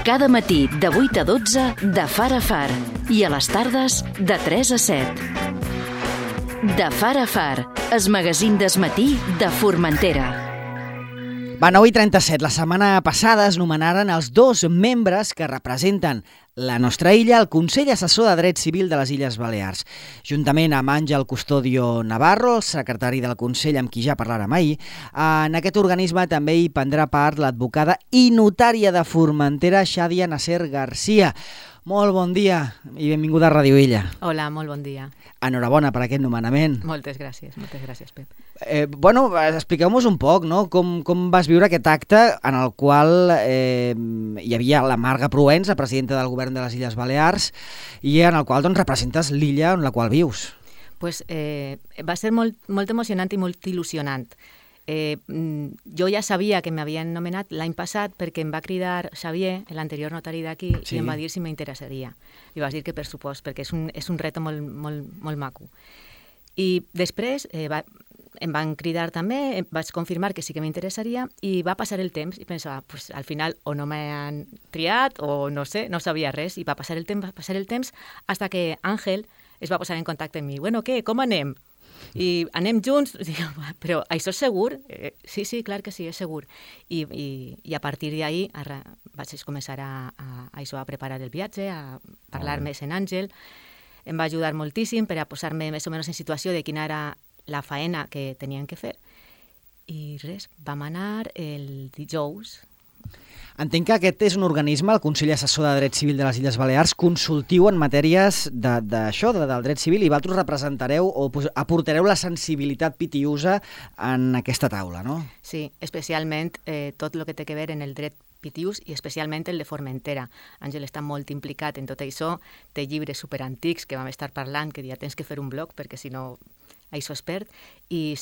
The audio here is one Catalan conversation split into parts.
Cada matí de 8 a 12 de Far a Far i a les tardes de 3 a 7. De Far a Far, el magazín del matí de Formentera. Va, 9:37. La setmana passada es nomenaren els dos membres que representen la nostra illa al Consell Assessor de Dret Civil de les Illes Balears. Juntament amb Àngel Custodio Navarro, el secretari del Consell, amb qui ja parlàrem ahir, en aquest organisme també hi prendrà part l'advocada i notària de Formentera, Xadia Nasser Garcia. Molt bon dia i benvinguda a Ràdio Illa. Hola, molt bon dia. Enhorabona per aquest nomenament. Moltes gràcies, Pep. Expliqueu-nos un poc, no? Com vas viure aquest acte en el qual hi havia la Marga Proens, la presidenta del govern de les Illes Balears, i en el qual representes l'illa en la qual vius. Pues, va ser molt emocionant i molt il·lusionant. Jo ja sabia que m'havien nomenat l'any passat perquè em va cridar Xavier, l'anterior notari d'aquí, sí, i em va dir si m'interessaria. Li vas dir que per supost, perquè és un reto molt maco. I després em van cridar també, vaig confirmar que sí que m'interessaria i va passar el temps i pensava, pues, al final o no m'han triat o no sé, no sabia res, i va passar el temps hasta que Àngel es va posar en contacte amb mi. Bueno, què, com anem? I anem junts, però això és segur? Sí, clar que sí, és segur. I a partir d'ahir vaig començar a preparar el viatge, a parlar més en Àngel. Em va ajudar moltíssim per a posar-me més o menys en situació de quina era la faena que tenien que fer. I res, vam anar el dijous. Entenc que aquest és un organisme, el Consell Assessor de Dret Civil de les Illes Balears, consultiu en matèries d'això, del dret civil, i vosaltres representareu o aportareu la sensibilitat pitiusa en aquesta taula, no? Sí, especialment tot el que té a veure en el dret pitius i especialment el de Formentera. Àngel està molt implicat en tot això, té llibres superantics que vam estar parlant, que ja tens que fer un blog perquè si no això es perd, i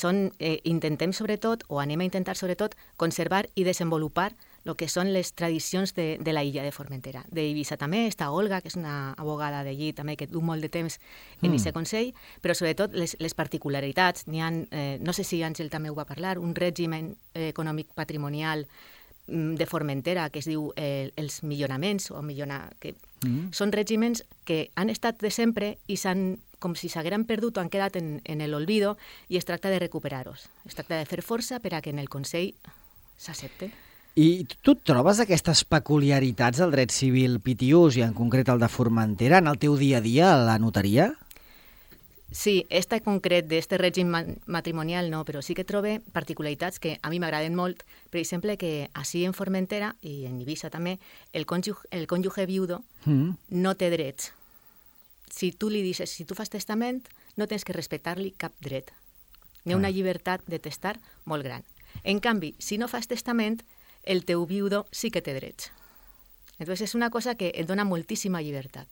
intentem sobretot, o anem a intentar sobretot, conservar i desenvolupar el que són les tradicions de la illa de Formentera. D'Eivissa també està Olga, que és una abogada d'allí també que du molt de temps en aquest consell, però sobretot les particularitats. N'hi ha, no sé si Àngel també ho va parlar, un règim econòmic patrimonial de Formentera que es diu els milloraments, que són règims que han estat de sempre i com si s'hagueren perdut o han quedat en l'olvido, i es tracta de recuperar-los. Es tracta de fer força per a que en el Consell s'accepte. I tu trobes aquestes peculiaritats del dret civil pitiús, i en concret el de Formentera, en el teu dia a dia a la notaria? Sí, en concret d'este règim matrimonial no, però sí que trobe particularitats que a mi m'agraden molt. Per exemple, que així en Formentera i en Eivissa també, el cònjuge viudo no té drets. Si tu li dices, si tu fas testament, no tens que respectar-li cap dret. Hi ha una llibertat de testar molt gran. En canvi, si no fas testament, el teu viudo sí que té drets. Entonces és una cosa que et dona moltíssima llibertat.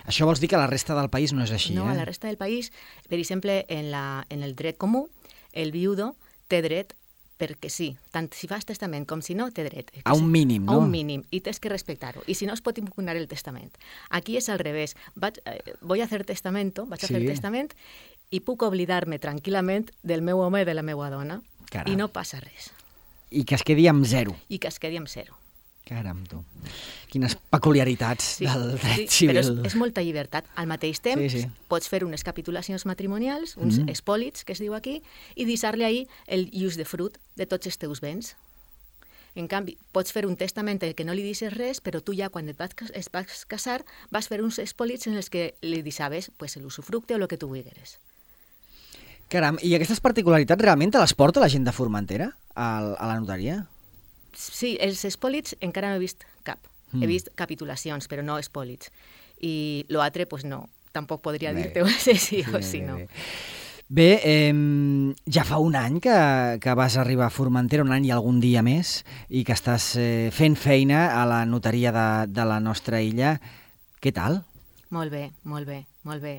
Això vols dir que a la resta del país no és així, No, a la resta del país, per exemple, en el dret comú, el viudo té dret perquè sí, tant si fas testament com si no, té dret. A un mínim, no? A un mínim, i tens que respectar-ho. I si no, es pot impugnar el testament. Aquí és al revés. Vaig a fer testament i puc oblidar-me tranquil·lament del meu home i de la meva dona. Caram. I no passa res. I que es quedi amb zero. Caram, tu. Quines peculiaritats del dret civil. Però és molta llibertat. Al mateix temps pots fer unes capitulacions matrimonials, uns espòlits, que es diu aquí, i deixar-li ahir el ius de frut de tots els teus béns. En canvi, pots fer un testament en què no li deixes res, però tu ja quan es vas casar vas fer uns espòlits en els que li deixaves l'usufructe o el que tu vulgueres. Caram, i aquestes particularitats realment te les porta la gent de Formentera a la notaria? Sí, els espòlits encara no he vist cap. He vist capitulacions, però no espòlits. I l'altre, no. Tampoc podria dir-te sí o sí no. Bé, ja fa un any que vas arribar a Formentera, un any i algun dia més, i que estàs fent feina a la notaria de la nostra illa. Què tal? Molt bé.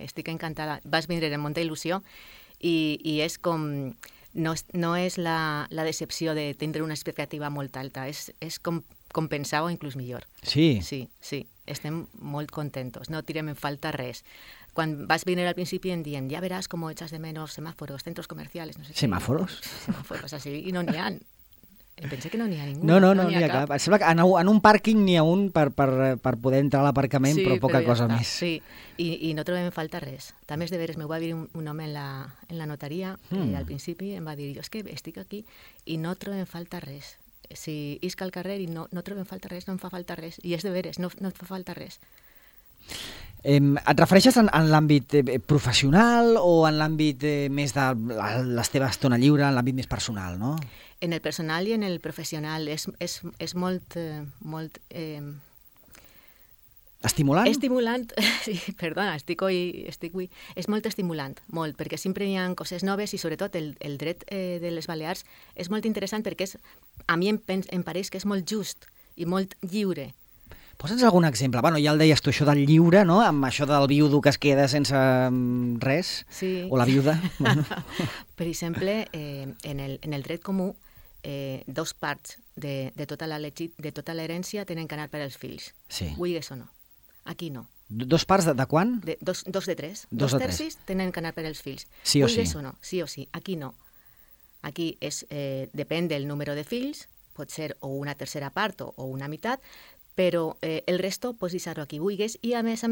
Estic encantada. Vas vindre amb molta il·lusió i és com... No és la decepció de tindre una expectativa molt alta, és com pensava o inclús millor. Sí? Sí, estem molt contentos, no tirem en falta res. Quan vas venir al principi em diuen, ja veràs com echas de menos semáforos, centros comerciales, no sé. ¿Semáforos? Semáforos, así, y no n'hi ha. Em pensé que no n'hi ha ningú. No n'hi ha cap. Em sembla que en un pàrquing n'hi ha un per poder entrar a l'aparcament, però poca cosa més. Sí, i no trobem falta res. També és de veres, m'ho va dir un home en la notaria, al principi em va dir, jo és que estic aquí i no trobem falta res. Si isc al carrer i no trobem falta res, no em fa falta res. I és de veres, no et fa falta res. Et refereixes en l'àmbit professional o en l'àmbit més de la teva estona lliure, en l'àmbit més personal, no? En el personal i en el professional és molt... Estimulant? Estimulant, sí, perdona, estic avui... És molt estimulant, molt, perquè sempre hi ha coses noves i sobretot el dret de les Balears és molt interessant perquè a mi em pareix que és molt just i molt lliure. Posa'ns algun exemple. Bueno, ja el deies tu, això del lliure, no? Amb això del viudo que es queda sense res, sí. O la viuda. Per exemple, en el dret comú, dos parts de tota l'herència tenen que anar per als fills, sí. Vulguis o no. Aquí no. Dos parts de quan? Dos de tres. Dos tercis tenen que anar per als fills. Sí o sí. Vulguis o no, sí o sí. Aquí no. Aquí depèn del número de fills, pot ser o una tercera part o una meitat, però el resto pots deixar-ho aquí vulguis i, a més,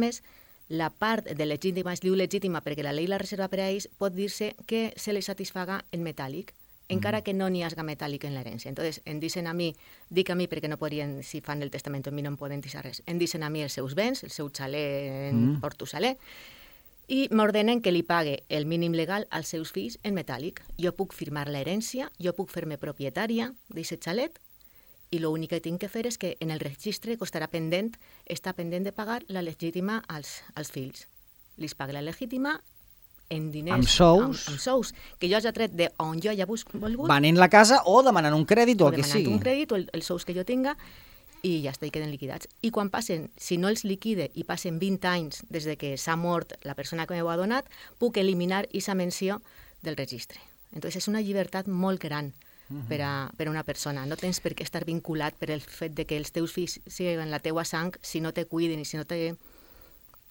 la part de legítima es diu legítima perquè la llei la reserva per a ells, pot dir-se que se li satisfaga en metàl·lic, encara que no n'hi hagi metàl·lic en l'herència. Entonces, em dicen a mi, dic a mi perquè no podrien, si fan el testament a mi no em poden deixar res, em dicen a mi els seus béns, el seu xalet en Porto Saler, i m'ordenen que li pague el mínim legal als seus fills en metàl·lic. Jo puc firmar l'herència, jo puc fer-me propietària d'aquest xalet, i l'únic que tinc que fer és que en el registre està pendent de pagar la legítima als fills. Li paga la legítima en diners... Amb sous. Amb sous, que jo hagi tret d'on jo hagi volgut. Venent la casa o demanant un crèdit o el que sigui. O demanant un crèdit o els sous que jo tinga i ja està, i queden liquidats. I quan passen, si no els liquide i passen 20 anys des de que s'ha mort la persona que m'ho ha donat, puc eliminar aquesta menció del registre. Entonces és una llibertat molt gran per a una persona. No tens per què estar vinculat per el fet de que els teus fills siguin la teua sang, si no te cuiden i si no te...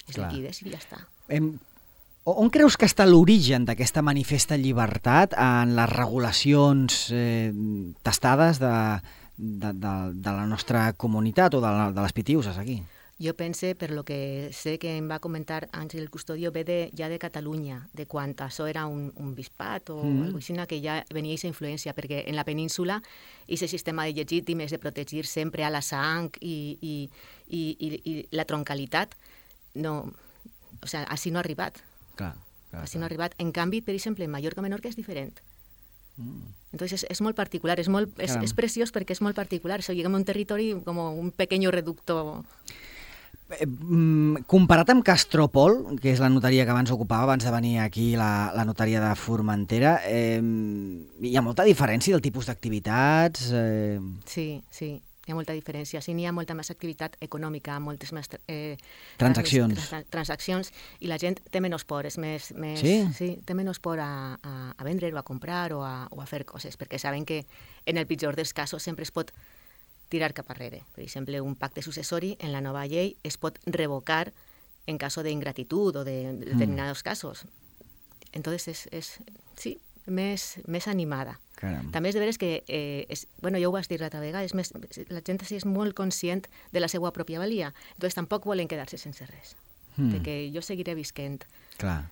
es liquides i ja està. On creus que està l'origen d'aquesta manifesta llibertat en les regulacions tastades de la nostra comunitat o de les Pitiuses aquí? Jo pense, per lo que sé que em va comentar Àngel Custodio, ve ja de Catalunya, de quan això era un bisbat o alguna cosa que ja venia aquesta influència, perquè en la península aquest sistema de legítim és de protegir sempre a la sang i la troncalitat, no, o sigui, així no ha arribat. Així no ha arribat. En canvi, per exemple, en Mallorca-Menorca és diferent. Entonces és molt particular, és preciós perquè és molt particular. Això llega a un territori com un pequeño reducto. Comparat amb Castropol, que és la notaria que abans ocupava, abans de venir aquí la notaria de Formentera, hi ha molta diferència del tipus d'activitats? Sí, hi ha molta diferència. Sí, n'hi ha molta més activitat econòmica, moltes més transaccions, i la gent té menys por, és més... Sí, té menys por a vendre o a comprar o a fer coses, perquè saben que en el pitjor dels casos sempre es pot tirar cap arrere. Per exemple, un pacte successori en la nova llei es pot revocar en cas d'ingratitud o de determinados casos. Entonces és més animada. Caram. També és de veres que, ja ho vas dir l'altra vegada, la gent és molt conscient de la seva pròpia valia, entonces tampoc volen quedar-se sense res, perquè jo seguiré visquent. Clar.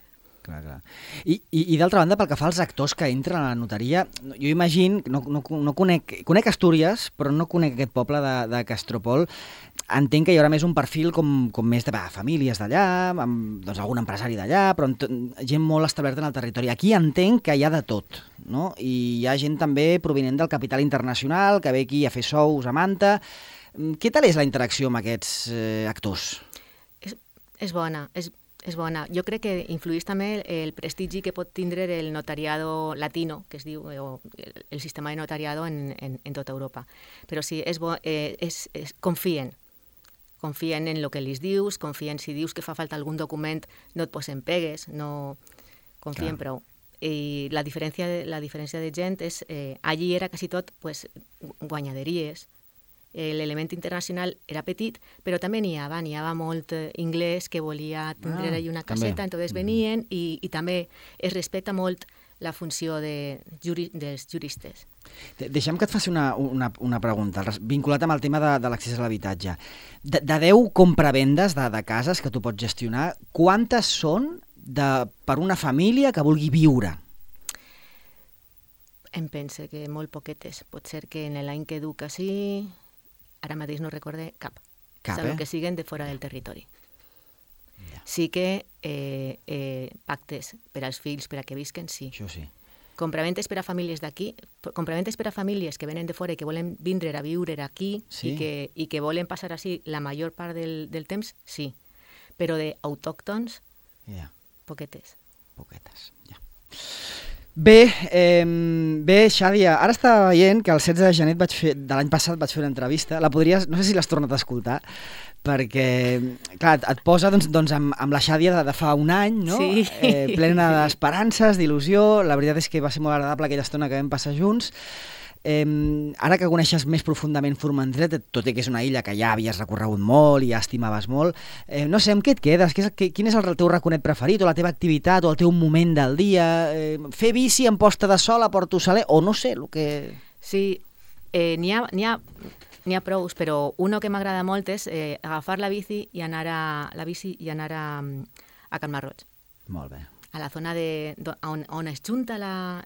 I d'altra banda, pel que fa als actors que entren a la notaria, jo imagino, no conec Astúries, però no conec aquest poble de Castropol. Entenc que hi haurà més un perfil com més de famílies d'allà, amb algun empresari d'allà, però gent molt establerta en el territori. Aquí entenc que hi ha de tot, no? I hi ha gent també provinent del capital internacional, que ve aquí a fer sous a Manta. Què tal és la interacció amb aquests actors? És bona, és bona. Jo crec que influeix també el prestigi que pot tindre el notariado latino, que es diu, o el sistema de notariado en tota Europa. Però sí, és bo, confien en el que li dius, confien si dius que fa falta algun document, no et posen pegues, no confien prou. I la diferència de gent és, allí era quasi tot guanyaderies. L'element internacional era petit, però també n'hi havia molt anglès que volia tindre allà una caseta, entonces venien i també es respecta molt la funció dels juristes. Deixa'm que et faci una pregunta, vinculat amb el tema de l'accés a l'habitatge. De 10 compravendes de cases que tu pots gestionar, quantes són per una família que vulgui viure? Em pense que molt poquetes. Pot ser que en l'any que du quasi, ara mateix no recorde cap. Salvo que siguen de fora del territori. Ja. Sí que pactes per als fills, per a que visquen, sí. Això sí. Compraventes per a famílies d'aquí, compraventes per a famílies que venen de fora i que volen vindre a viure aquí sí. i que volen passar així la major part del temps, sí. Però d'autòctons, poquetes. Poquetes, ja. Bé, Xàdia, ara estava veient que el 16 de gener de l'any passat vaig fer una entrevista, no sé si l'has tornat a escoltar, perquè, clar, et posa amb la Xàdia de fa un any, no? Sí. Plena d'esperances, d'il·lusió. La veritat és que va ser molt agradable aquella estona que vam passar junts. Ara que coneixes més profundament Formentera, tot i que és una illa que ja havies recorregut molt i ja estimaves molt, no sé, amb què et quedes? Quin és el teu raconet preferit, o la teva activitat, o el teu moment del dia? Fer bici en posta de sol a Porto Saler, o no sé, el que... Sí, n'hi ha prous, però uno que m'agrada molt és agafar la bici i anar a Can Marroig. Molt bé. A la zona on es junta la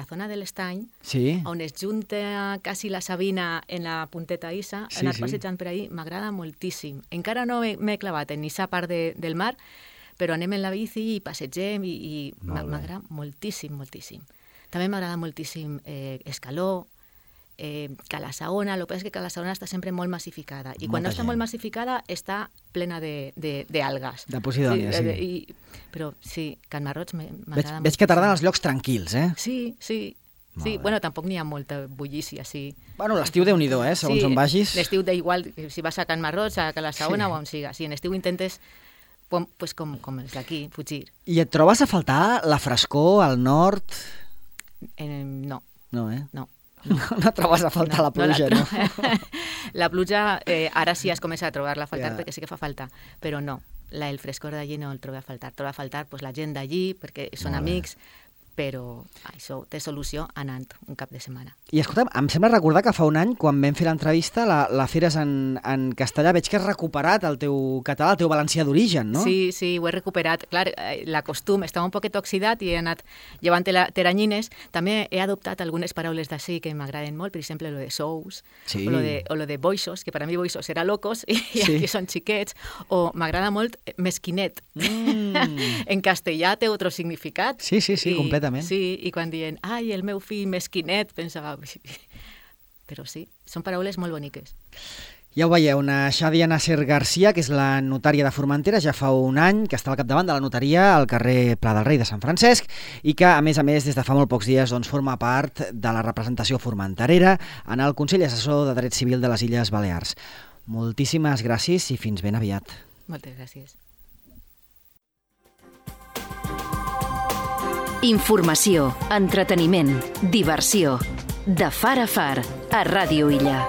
zona de l'estany, sí. On es junta quasi la Sabina en la punteta Issa, sí, anar passejant per ahí, m'agrada moltíssim. Encara no m'he clavat en aquesta part del mar, però anem en la bici i passegem i m'agrada moltíssim, moltíssim. També m'agrada moltíssim Escaló, Calassaona. El que passa és que Calassaona està sempre molt massificada i quan no està molt massificada està plena d'algues. De Posidònia, sí. Però sí, Can Marroig m'agrada molt. Veig que t'agraden els llocs tranquils, eh? Sí. Bueno, tampoc n'hi ha molta bullícia, sí. Bueno, l'estiu Déu-n'hi-do, segons on vagis. L'estiu d'igual, si vas a Can Marroig, a Calassaona o on siga. Sí, en estiu intentes, pues, com els d'aquí, fugir. I et trobes a faltar la frescor al nord? No. No, eh? No. No trobes a faltar la pluja, no? La pluja, ara sí es comença a trobar-la a faltar perquè sí que fa falta, però no, el frescor d'allí no el trobo a faltar. Trobo a faltar la gent d'allí perquè són amics, però això té solució anant un cap de setmana. I escolta'm, em sembla recordar que fa un any, quan vam fer l'entrevista, la feres en castellà, veig que has recuperat el teu català, el teu valencià d'origen, no? Sí, ho he recuperat. Clar, l'acostum estava un poquet oxidat i he anat llevant teranyines. També he adoptat algunes paraules d'ací que m'agraden molt, per exemple, lo de sous, sí. o lo de boixos, que per a mi boixos era locos, i aquí són xiquets, o m'agrada molt mesquinet. En castellà té otro significat. Sí, completament. Sí, i quan diuen, ai, el meu fill mesquinet, pensava... Però sí, són paraules molt boniques. Ja ho veieu, una Xàdia Nasser Garcia, que és la notària de Formentera, ja fa un any que està al capdavant de la notaria al carrer Pla del Rei de Sant Francesc i que, a més, des de fa molt pocs dies, forma part de la representació formenterera en el Consell Assessor de Dret Civil de les Illes Balears. Moltíssimes gràcies i fins ben aviat. Moltes gràcies. Informació, entreteniment, diversió. De far a far, a Ràdio Illa.